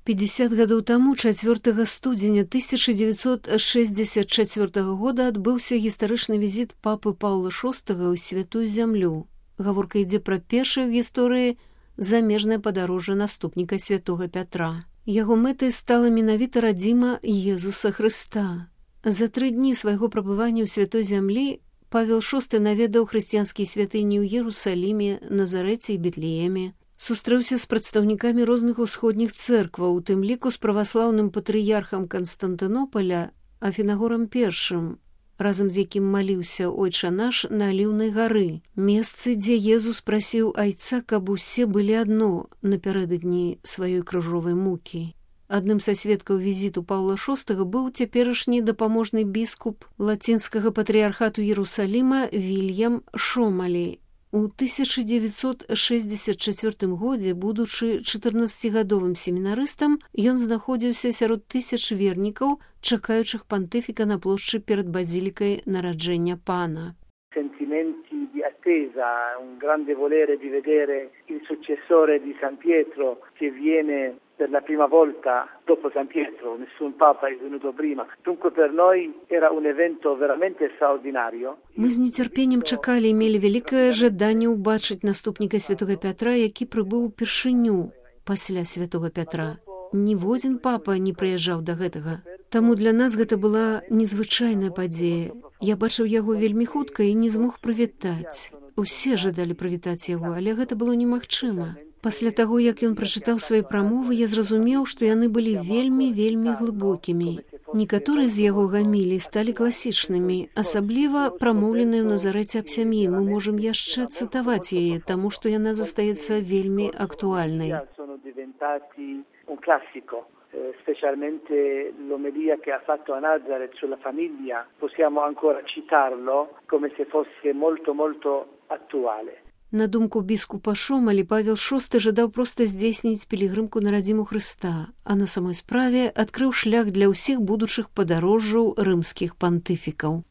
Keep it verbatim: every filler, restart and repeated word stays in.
пятьдесят гадоў таму чацвёртага студзеня тысяча дзевяцьсот шэсцьдзесят чацвёртага года адбыўся гістарычны візіт папы Паўла шостага ў святую зямлю. Гаворка ідзе пра першае ў гісторыі замежнае падарожжа наступніка святога Пятра. Яго мэтай стала менавіта радзіма Езуса Хрыста. За тры дні свайго прабывання ў святой зямлі Павел шосты наведаў хрысціянскія святыні ў Ерусаліме, Назарэце і Бетлееме. Сустрэўся з прадстаўнікамі розных усходніх цэркваў, у тым ліку з праваслаўным патрыярхам Канстантынопаля Афінагорам першым, разам з якім маліўся Ойча наш на Аліўнай гары, месцы, дзе Езус прасіў Айца, каб усе былі адно напярэдадні сваёй крыжовай мукі. Адным са сведкаў візіту Паўла шостага быў цяперашні дапаможны біскуп лацінскага патрыярхату Ерусаліма Вільям Шомалі. У тысяча дзевяцьсот шэсцьдзесят чацвёртым годзе, будучы чатырнаццацігадовым семінарыстам, ён знаходзіўся сярод тысяч вернікаў, чакаючых пантыфіка на плошчы перад базілікай нараджэння Пана. Sentimenti di attesa, un grande volere di vedere il successore di San Pietro che viene per la prima volta dopo San Pietro, nessun papa è venuto prima. Dunque per noi era un evento veramente straordinario. Мы з нецярпеннем чакалі і мелі вялікае жаданне ўбачыць наступніка святога Пятра, які прыбыў упершыню пасля святога Пятра. Ніводзін папа не прыязджаў да гэтага. Таму для нас гэта была незвычайная падзея. Я бачыў яго вельмі хутка і не змог прывітаць. Усе жадалі прывітаць яго, але гэта было немагчыма. Пасля таго, як ён прачытаў свае прамовы, я зразумеў, што яны былі вельмі-вельмі глыбокімі. Некаторыя з яго гамілій сталі класічнымі, асабліва прамоўленыя ў Назарэце аб сям'і. Мы можам яшчэ цытаваць яе, таму што яна застаецца вельмі актуальнай. Un classico, eh, specialmente l'omelia che ha fatto a Nazareth sulla famiglia, possiamo ancora citarlo come se fosse molto molto attuale. На думку біскупа Шомалі, Павел шосты жадаў проста здзейсніць пілігрымку на радзіму Хрыста, а на самой справе адкрыў шлях для ўсіх будучых падарожжаў рымскіх пантыфікаў.